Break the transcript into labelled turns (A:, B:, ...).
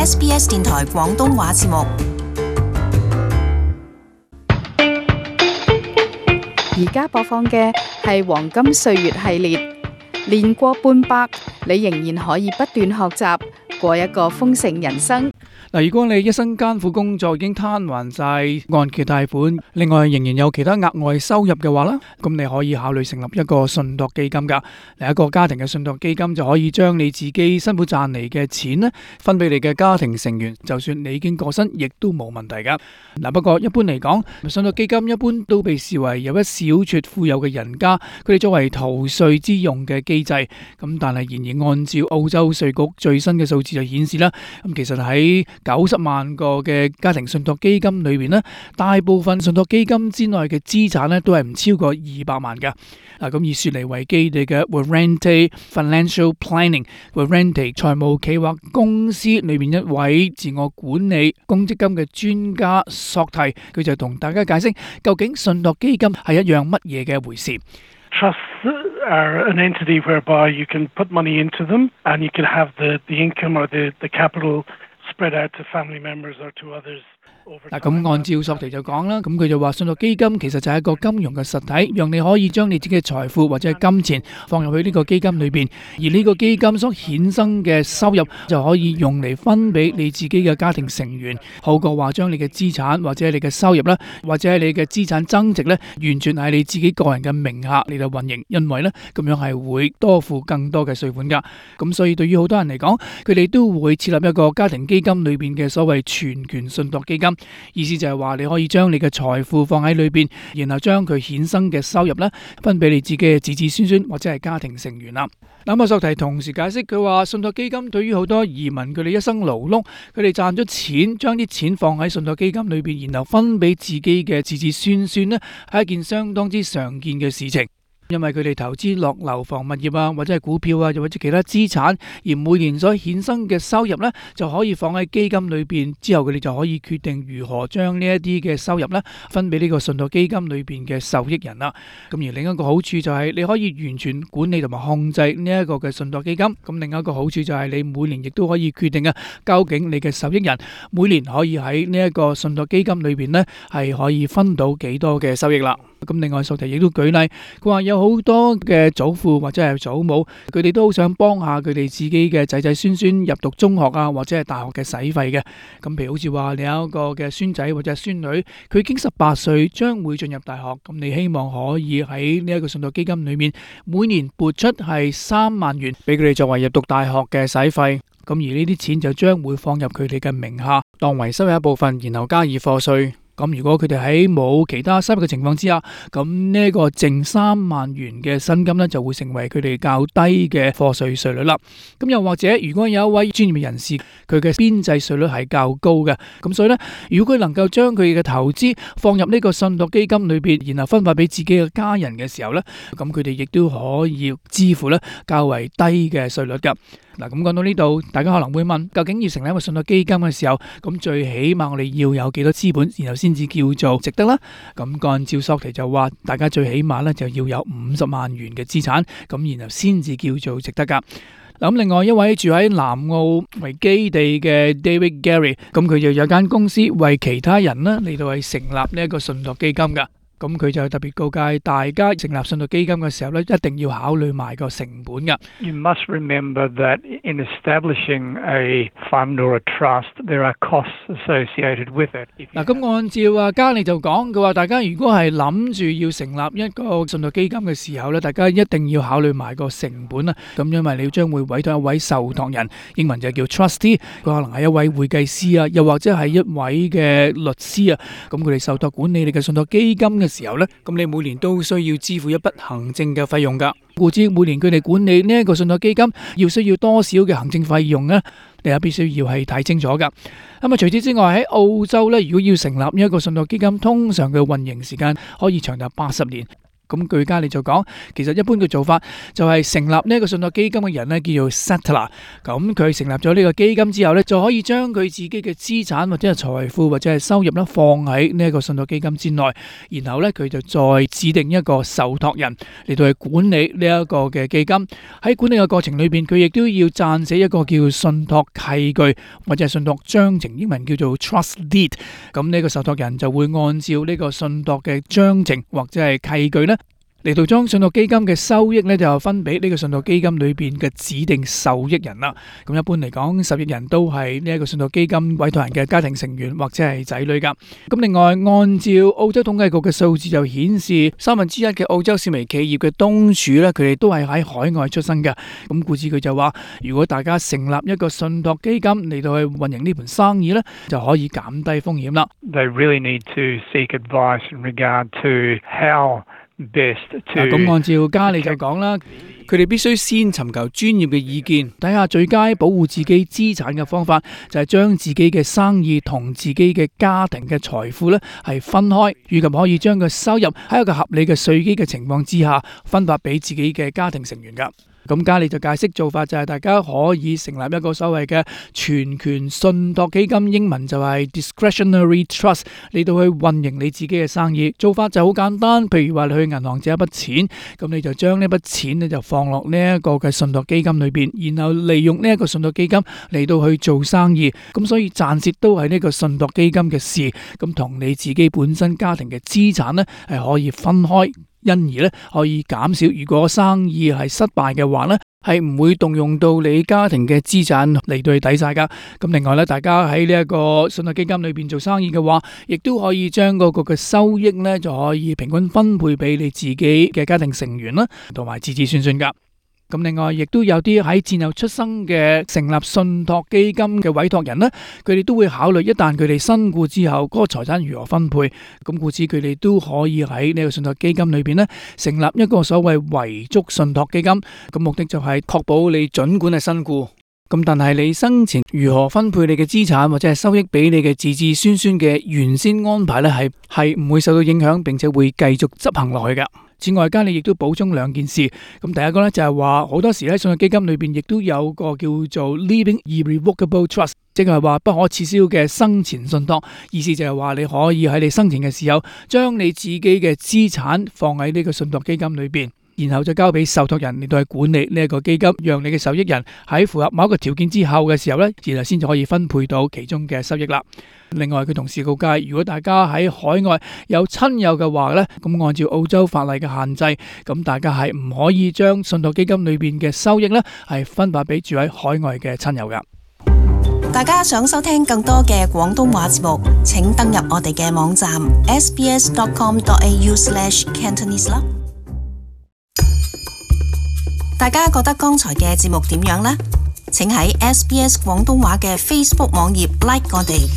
A: SBS 電台廣東話節目。
B: 而家播放嘅係黃金歲月系列，年過半百，你仍然可以不斷學習，過一個豐盛人生。
C: 嗱，如果你一生艱苦工作已經攤還晒按揭貸款，另外仍然有其他額外收入嘅話啦，咁你可以考慮成立一個信託基金噶。嗱，一個家庭嘅信託基金就可以將你自己辛苦賺嚟嘅錢呢分俾你嘅家庭成員，就算你已經過身，亦都冇問題噶。嗱，不過一般嚟講，信託基金一般都被視為有一小撮富有嘅人家，佢哋作為逃稅之用嘅機制。咁但係仍然按照澳洲稅局最新嘅數字就顯示啦，咁其實喺90萬個嘅家庭信託基金裏邊呢，大部分信託基金之內嘅資產呢都係唔超過200萬㗎。咁以雪梨為基地嘅 Warranty Financial Planning、Warranty 財務企劃公司裏面一位自我管理公積金嘅專家索提，佢就同大家解釋究竟信託基金係一樣乜嘢嘅回事。
D: Trusts are an entity whereby you can put money into them and you can have the income or the capital spread out to family members or to others.
C: 嗱，咁按照索提就講啦，咁佢就話信託基金其實就係一個金融嘅實體，讓你可以將你自己嘅財富或者係金錢放入去呢個基金裏邊，而呢個基金所衍生嘅收入就可以用嚟分俾你自己嘅家庭成員，好過話將你嘅資產或者係你嘅收入啦，或者係你嘅資產增值咧，完全係你自己個人嘅名下嚟到運營，因為咧咁樣係會多付更多嘅稅款噶。咁所以對於好多人嚟講，佢哋都會設立一個家庭基金裏邊嘅所謂全權信託基金。意思就係話你可以將你嘅財富放喺裏邊，然後將佢衍生嘅收入咧分俾你自己嘅子子孫孫或者係家庭成員啦。咁索提同時解釋，佢話信託基金對於好多移民佢哋一生勞碌，佢哋賺咗錢，將啲錢放喺信託基金裏邊，然後分俾自己嘅子子孫孫咧，係一件相當之常見嘅事情。因為佢哋投資落樓房物業啊，或者係股票啊，又或者其他資產，而每年所衍生嘅收入呢，就可以放喺基金裏邊，之後佢哋就可以決定如何將呢一啲嘅收入呢分俾呢個信託基金裏邊嘅受益人啦。咁而另一個好處就係你可以完全管理同埋控制呢一個嘅信託基金。咁另一個好處就係你每年亦都可以決定啊，究竟你嘅受益人每年可以喺呢一個信託基金裏邊呢係可以分到幾多嘅收益啦。咁另外索提亦都舉例，佢話有好多嘅祖父或者係祖母，佢哋都好想幫下佢哋自己嘅仔仔孫孫入讀中學啊，或者係大學嘅使費嘅。咁譬如好似話你有一個嘅孫仔或者係孫女，佢已經18歲，將會進入大學，咁你希望可以喺呢一個信託基金裏面每年撥出係3萬元俾佢哋作為入讀大學嘅使費。咁而呢啲錢就將會放入佢哋嘅名下，當為收入一部分，然後加以課稅。咁如果佢哋喺冇其他收入嘅情況之下，咁呢個淨3萬元嘅薪金呢，就會成為佢哋較低嘅課稅稅率啦。咁又或者如果有一位專業人士，佢嘅邊際稅率係較高嘅，咁所以呢，如果佢能夠將佢嘅投資放入呢個信託基金裏邊，然後分發俾自己嘅家人嘅時候呢，咁佢哋亦都可以支付呢較為低嘅稅率噶。嗱，咁講到呢度，大家可能會問，究竟要成立一個信託基金嘅時候，咁最起碼我哋要有幾多資本，然後先至叫做值得啦？咁按照索提就話，大家最起碼咧就要有50萬元嘅資產，咁然後先至叫做值得噶。咁另外一位住喺南澳為基地嘅 David Gary， 咁佢就有間公司為其他人呢嚟到去成立呢一個信託基金噶。咁佢就特別告誡大家成立信託基金嘅時候咧，一定要考慮埋個成本噶。
D: You must remember that in establishing a fund or a trust, there are costs associated with it.
C: 嗱，咁按照加利就講，佢話大家如果係諗住要成立一個信託基金嘅時候咧，大家一定要考慮埋個成本啊。咁因為你將會委託一位受託人，英文就叫 trustee， 佢可能係一位會計師啊，又或者係一位嘅律師啊。咁佢哋受託管理你嘅信託基金嘅時候呢，咁你每年都需要支付一筆行政嘅費用噶。故知每年佢哋管理呢一個信託基金要需要多少嘅行政費用呢？你係必須要係睇清楚噶。咁除此之外喺澳洲呢，如果要成立一個信託基金，通常嘅運營時間可以長達80年。咁據嘉利就講，其實一般嘅做法就係成立呢一個信託基金嘅人呢，叫做 settler。咁佢成立咗呢個基金之後呢，就可以將佢自己嘅資產或者係財富或者係收入呢放喺呢一個信託基金之內，然後呢，佢就再指定一個受託人嚟到去管理呢一個嘅基金。喺管理嘅過程裏邊，佢亦都要撰寫一個叫信託契據或者係信託章程，英文叫做 trust deed。咁呢個受託人就會按照呢個信託嘅章程或者係契據呢，嚟到將信託基金嘅收益呢，就分俾呢個信託基金裏邊嘅指定受益人啦。咁一般嚟講，受益人都係呢一個信託基金委託人嘅家庭成員或者係仔女噶。咁另外，按照澳洲統計局嘅數字就顯示，1/3嘅澳洲小微企業嘅東主呢，佢哋都係喺海外出生嘅。咁故此佢就話，如果大家成立一個信託基金嚟到去運營呢盤生意呢，就可以減低風險啦。
E: They really need to seek advice in regard to how
C: 咁按照嘉利就講啦，佢哋必須先尋求專業嘅意見，睇下最佳保護自己資產嘅方法，就係將自己嘅生意同自己嘅家庭嘅財富呢係分開，以及可以將個收入喺一個合理嘅稅基嘅情況之下分發俾自己嘅家庭成員噶。咁嘉利就解釋做法就係大家可以成立一個所謂嘅全權信託基金，英文就係 discretionary trust， 嚟到去運營你自己嘅生意。做法就好簡單，譬如話你去銀行借一筆錢，咁你就將呢筆錢呢就放落呢一個嘅信託基金裏邊，然後利用呢一個信託基金嚟到去做生意。咁所以賺蝕都係呢個信託基金嘅事，咁同你自己本身家庭嘅資產呢係可以分開。因而咧可以減少，如果生意係失敗嘅話咧，係唔會動用到你家庭嘅資產嚟到去抵晒噶。咁另外咧，大家喺呢一個信託基金裏邊做生意嘅話，亦都可以將嗰個嘅收益咧就可以平均分配俾你自己嘅家庭成員啦，同埋子子孫孫噶。咁另外，亦都有啲喺戰後出生嘅成立信託基金嘅委託人呢，佢哋都會考慮一旦佢哋身故之後，嗰個財產如何分配。咁故此，佢哋都可以喺呢個信託基金裏邊呢，成立一個所謂遺囑信託基金。咁目的就係確保你盡管係身故，咁但係你生前如何分配你嘅資產或者係收益俾你嘅子子孫孫嘅原先安排呢，係唔會受到影響，並且會繼續執行落去㗎。此外，嘉利亦都補充兩件事。咁第一個呢，就係話，好多時喺信託基金裏邊亦都有個叫做 Living Irrevocable Trust， 即係話不可撤銷嘅生前信託。意思就係話你可以喺你生前嘅時候，將你自己嘅資產放喺呢個信託基金裏邊，然後再交俾受託人嚟到去管理呢一個基金，讓你嘅受益人喺符合某一個條件之後嘅時候呢，然後先至可以分配到其中嘅收益啦。另外，佢同時告誡，如果大家喺海外有親友嘅話呢，咁按照澳洲法例嘅限制，咁大家係唔可以將信託基金裏邊嘅收益呢係分發俾住喺海外嘅親友噶。
A: 大家想收聽更多嘅廣東話節目，請登入我哋嘅網站 sbs.com.au/cantonese 啦。大家覺得剛才嘅節目點樣呢？請喺 SBS 廣東話嘅 Facebook 網頁 like 我哋。